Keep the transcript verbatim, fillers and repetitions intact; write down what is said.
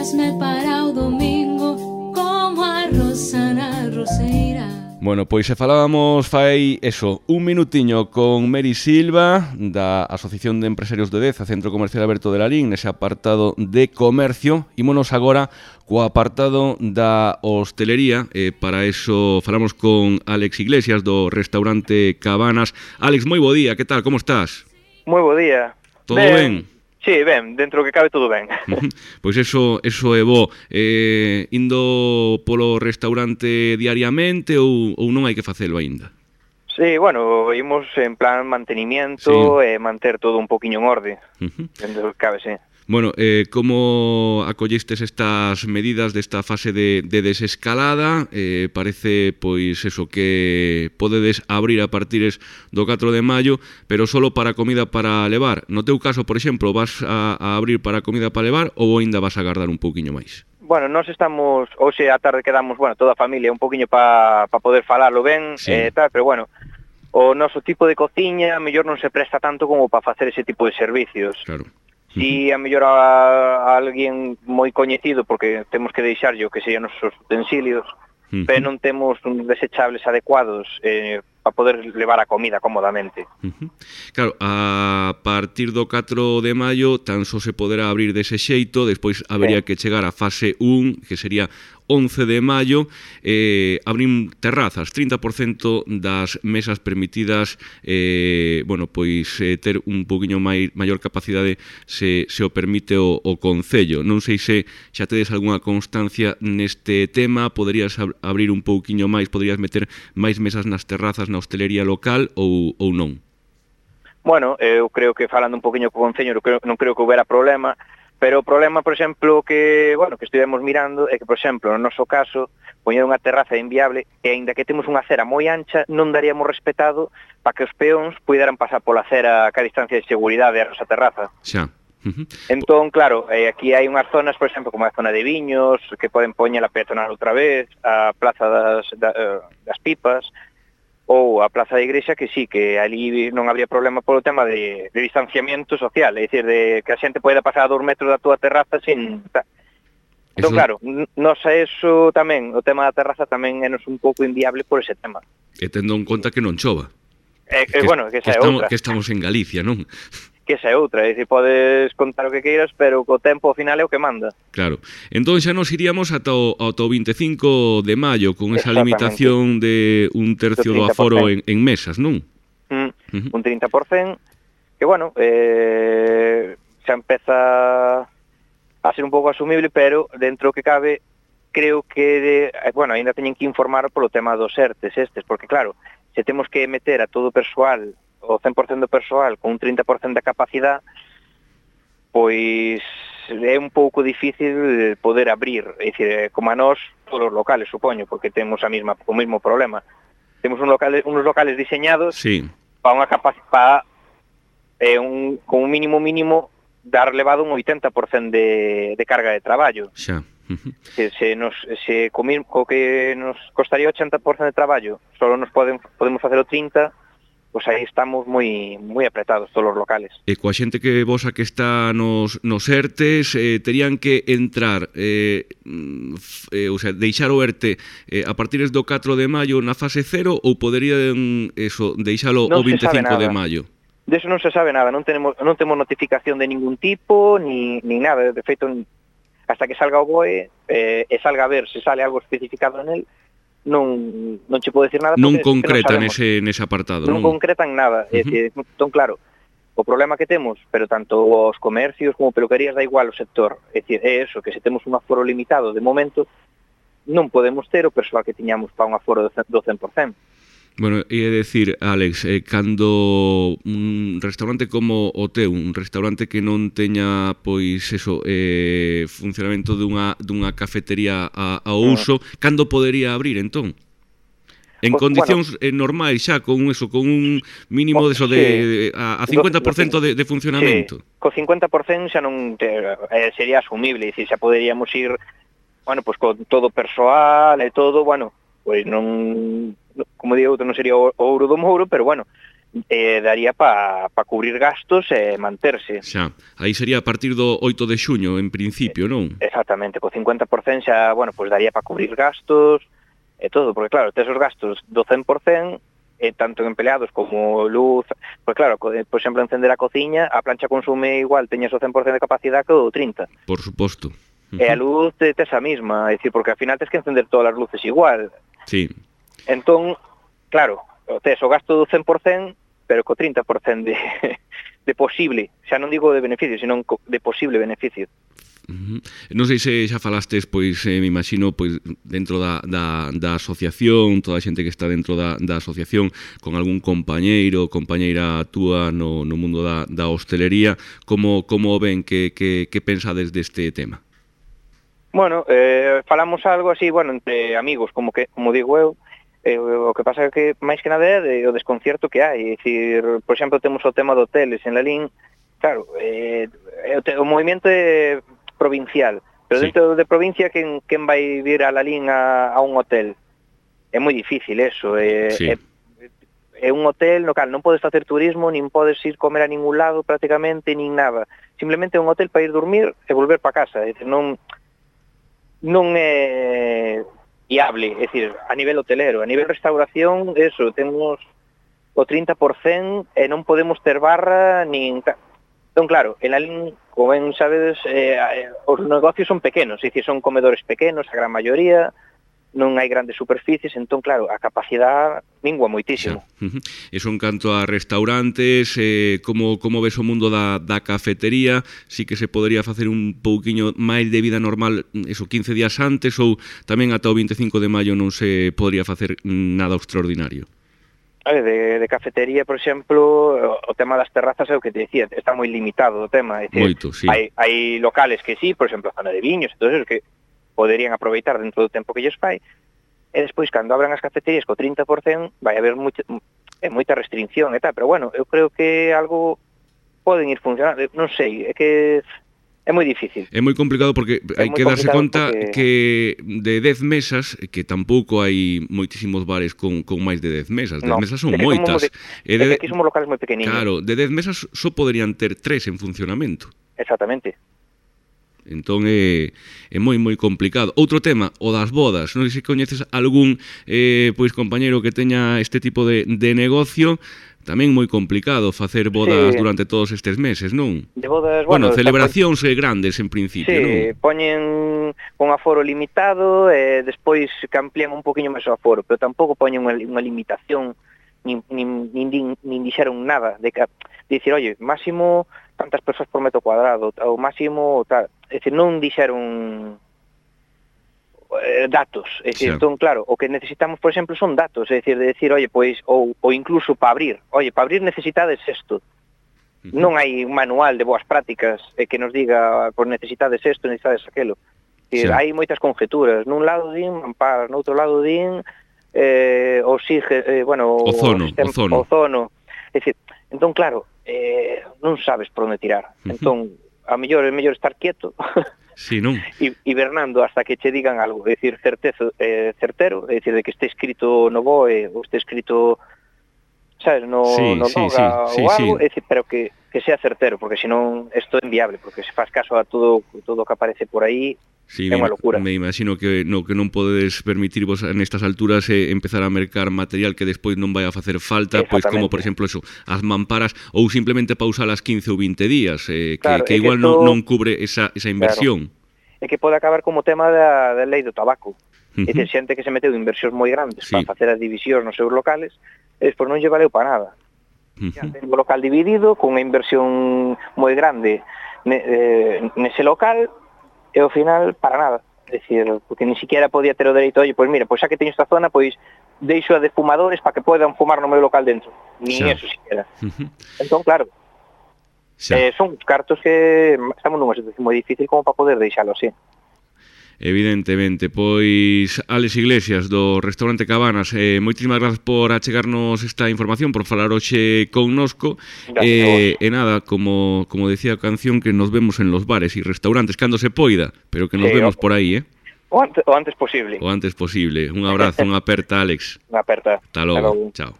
mesme para o domingo, como a rosa na roseira. Bueno, pois se falábamos fai eso, un minutiño con Meri Silva da Asociación de Empresarios de Deza, Centro Comercial Aberto de Lalín, nese apartado de comercio. Ímonos agora co apartado da hostelería, e para eso falamos con Álex Iglesias do restaurante Cabanas. Álex, moi bo día, que tal, como estás? Moi bo día. Todo ben? Sí, ben, dentro que cabe todo ben. Pois eso, eso é bo. Eh, indo polo restaurante diariamente ou, ou non hai que facelo aínda? Sí, bueno, imos en plan mantenimiento sí. e manter todo un poquinho en orde. Uh-huh. Dentro que cabe, sí. Bueno, eh, como acollistes estas medidas desta fase de, de desescalada? Eh, parece, pois, eso, que podedes abrir a partires do catro de maio, pero solo para comida para levar. No teu caso, por exemplo, vas a, a abrir para comida para levar ou aínda vas a agardar un pouquiño máis? Bueno, nós estamos, hoxe a tarde quedamos, bueno, toda a familia, un poquinho para pa poder falarlo ben, sí. e eh, tal, pero bueno, o noso tipo de cociña, a mellor non se presta tanto como para facer ese tipo de servicios. Claro. Si a mellor a, a alguén moi coñecido, porque temos que deixarlle o que sean os utensilios, uh-huh. pero non temos uns desechables adecuados eh, para poder levar a comida cómodamente. Uh-huh. Claro, a partir do catro de maio tan só se poderá abrir dese xeito, despois habería sí. que chegar a fase un, que sería once de maio, eh, abrir terrazas, trinta por cento das mesas permitidas, eh, bueno, pois eh, ter un poquinho mai, maior capacidade se, se o permite o, o Concello. Non sei se xa tedes algunha constancia neste tema, poderías ab abrir un pouquiño máis, poderías meter máis mesas nas terrazas na hostelería local ou, ou non? Bueno, eu creo que falando un poquinho co Concello non creo, non creo que houbera problema, pero o problema, por exemplo, que, bueno, que estivemos mirando é que, por exemplo, no noso caso, poñer unha terraza é inviable e aínda que temos unha acera moi ancha, non daríamos respetado para que os peóns puderan pasar pola acera ca distancia de seguridade a nosa terraza. Xa. Uh-huh. Entón, claro, eh, aquí hai unhas zonas, por exemplo, como a zona de Viños, que poden poñer a peatonal outra vez, a Plaza das, da, das Pipas, ou a Plaza da Igrexa, que sí, que ali non habría problema polo tema de, de distanciamiento social, é dicir, de que a xente poida pasar a dos metros da túa terraza sin... Entón, eso... claro, nos a eso tamén, o tema da terraza tamén é nos un pouco inviable por ese tema. E tendo en conta que non chova. Eh, que, bueno, que, que esa é estamos, outra. Que estamos en Galicia, non? Que esa é outra, é dicir, podes contar o que queiras, pero co tempo ao final é o que manda. Claro. Entón xa nos iríamos ata o, ata o vinte e cinco de maio, con esa limitación de un tercio do aforo en, en mesas, non? Mm, uh-huh. Un trinta por cento, que, bueno, eh, xa empeza a ser un pouco asumible, pero dentro que cabe, creo que, de, bueno, ainda teñen que informar polo tema dos ERTES estes, porque, claro, se temos que meter a todo o persoal, o cen por cento do persoal, con un trinta por cento da capacidade, pois é un pouco difícil poder abrir, é dicir, como a nós, todos os locales, supoño, porque temos a mesma, o mesmo problema. Temos un locales, unos locales diseñados sí. para unha capacidade, eh, un, con un mínimo mínimo, dar levado un oitenta por cento de, de carga de traballo. Xa. Se, se, nos, se co, co que nos costaría oitenta por cento de traballo, solo nos poden, podemos facer o trinta por cento, pois aí estamos moi moi apretados todos os locales. E coa xente que vosa que está nos, nos ERTES, eh, terían que entrar, eh, eh, o sea, deixar o ERTE eh, a partir do catro de maio na fase cero ou poderían eso, deixalo non o vinte e cinco de maio? De eso non se sabe nada, non tenemos, non temos notificación de ningún tipo, ni, ni nada, de feito, hasta que salga o B O E eh, e salga a ver se sale algo especificado en el, non non che podo decir nada. Non concretan nese, nese apartado, non? Non concretan nada, uh-huh. É dicir, entón claro, o problema que temos, pero tanto os comercios como peluquerías da igual o sector, é dicir, é eso, que se temos un aforo limitado de momento, non podemos ter o persoal que tiñamos para un aforo do cen por cento. Bueno, e é dicir, Álex, eh, cando un restaurante como o teu, un restaurante que non teña, pois, eso, eh, funcionamento dunha, dunha cafetería a, a uso, uh-huh. cando podería abrir, entón? En pues, condicións bueno, normais xa, con eso, con un mínimo de, eso de, sí. a, a cincuenta por cento de, de funcionamento. Sí, co cincuenta por cento xa non te, eh, sería asumible, dicir, xa poderíamos ir, bueno, pues con todo persoal e todo, bueno, pois non, como digo, non sería o ouro do mouro, pero bueno, eh, daría para pa cubrir gastos e manterse. Xa, aí sería a partir do oito de xuño, en principio, non? Exactamente, co cincuenta por cento xa, bueno, pois daría para cubrir gastos e todo, porque claro, tes os gastos do cen por cento, e tanto en empleados como luz, pois claro, por exemplo, encender a cociña, a plancha consume igual, teñes o cen por cento de capacidade que o trinta. Por suposto. Uh-huh. E a luz tes a mesma, é dicir, porque ao final tes que encender todas as luces igual. Sí. Entón, claro, tes o gasto do cen por cento, pero co trinta por cento de, de posible, xa non digo de beneficio, sino de posible beneficio. Uh-huh. Non sei se xa falastes, pois, eh, me imagino, pois, dentro da, da, da asociación, toda a xente que está dentro da, da asociación, con algún compañeiro, compañeira túa no, no mundo da, da hostelería, como, como ven, que, que, que pensades deste tema? Bueno, eh, falamos algo así, bueno, entre amigos, como que como digo eu, eh, o que pasa é que máis que nada é de, o desconcierto que hai, é dicir, por exemplo, temos o tema de hoteles en Lalín, claro, eh, o, o movimento é provincial, pero sí. Dentro de provincia quen, quen vai vir a Lalín a, a un hotel? É moi difícil eso, é, sí. é, é un hotel no cal non podes facer turismo, nin podes ir comer a ningún lado prácticamente, nin nada, simplemente é un hotel para ir dormir e volver para casa, é dicir, non non é viable, é dicir, a nivel hotelero, a nivel restauración, eso, temos o trinta por cento e non podemos ter barra nin... Entón, claro, en Lalín, como ben sabedes, eh, os negocios son pequenos, é dicir, son comedores pequenos, a gran maioría, non hai grandes superficies, entón, claro, a capacidade mingua moitísimo. Uh-huh. Eso en canto a restaurantes, eh, como, como ves o mundo da, da cafetería, si que se podería facer un pouquiño máis de vida normal, eso, quince días antes, ou tamén ata o vinte e cinco de maio non se podría facer nada extraordinario? A ver, de, de cafetería, por exemplo, o tema das terrazas é o que te decía, está moi limitado o tema. É dicir, Moito, sí. Hai, hai locales que sí, por exemplo, a zona de viños, todo eso, que poderían aproveitar dentro do tempo que lles fai, e despois, cando abran as cafeterías co trinta por cento, vai haber moita, é moita restricción e tal, pero bueno, eu creo que algo poden ir funcionando, non sei, é que é moi difícil. É moi complicado porque hai que darse conta porque... que de dez mesas, que tampouco hai moitísimos bares con, con máis de dez mesas, dez no, mesas son moitas. De, e de, aquí somos locales moi pequeninos. Claro, de dez mesas só poderían ter tres en funcionamento. Exactamente. Entón é, é moi moi complicado. Outro tema, o das bodas. Non sei se coñeces algún eh, pois compañeiro que teña este tipo de, de negocio. Tamén moi complicado facer bodas sí. Durante todos estes meses, non? De bodas, bueno, bueno celebracións despois... grandes en principio, sí, non? Sí, poñen un aforo limitado e despois que amplían un poquinho máis o aforo, pero tampouco poñen unha, unha limitación, nin, nin, nin, nin dixeron nada de, que, de dicir, oye, máximo tantas persoas por metro cuadrado, ou máximo tal, é dicir, non dixeron datos, é dicir, sí. Entón, claro, o que necesitamos, por exemplo, son datos, é dicir, de decir, oye, pois, ou, ou incluso para abrir, oye, para abrir necesitades isto, uh-huh. Non hai un manual de boas prácticas eh, que nos diga, pois necesitades isto, necesitades aquelo, é dicir, sí. Hai moitas conjeturas, nun lado din mamparas, no outro lado din eh, oxige, eh, bueno, ozono, o sistema, ozono. ozono, é dicir, entón, claro, eh, non sabes por onde tirar, uh-huh. Entón, a mellor é mellor estar quieto, sí, non? Hibernando hasta que che digan algo, é dicir, certezo, eh, certero, é dicir, de que este escrito no B O E ou este escrito, sabes, no, sí, no sí, Noga sí, ou sí, algo, sí. É dicir, pero que, que sea certero, porque senón isto é inviable, porque se faz caso a todo todo que aparece por aí, sí, é unha locura. Me imagino que no que non podedes permitirvos nestas alturas é eh, empezar a mercar material que despois non vai a facer falta, pois como, por exemplo, eso, as mamparas, ou simplemente pausalas quince ou vinte días, eh, que, claro, que igual que esto... non, non cubre esa, esa inversión. Claro. É que pode acabar como tema da, da lei do tabaco. Uh-huh. É dicir, xente que se meteu inversións moi grandes, sí. Para facer as divisións nos seus locales, e despois non lle valeu para nada. Uh-huh. Ya ten o local dividido, con unha inversión moi grande ne, eh, nese local, e ao final, para nada. É dicir, porque ni siquiera podía ter o dereito, oye, pois mira, pois xa que teño esta zona, pois deixo a de fumadores para que podan fumar no meu local dentro. Ni xa. Eso siquiera. Uh-huh. Entón, claro, eh, son cartos que estamos nunha situación moi difícil como para poder deixalo así. Evidentemente, pois Álex Iglesias do Restaurante Cabanas, eh, moitísimas grazas por achegarnos esta información, por falar hoxe connosco, eh, e nada, como, como decía a canción, que nos vemos en los bares e restaurantes cando se poida, pero que nos sí, vemos o, por aí, eh? O antes, o antes posible. O antes posible. Un abrazo, unha aperta, Álex. Unha aperta. Hasta logo. Chao.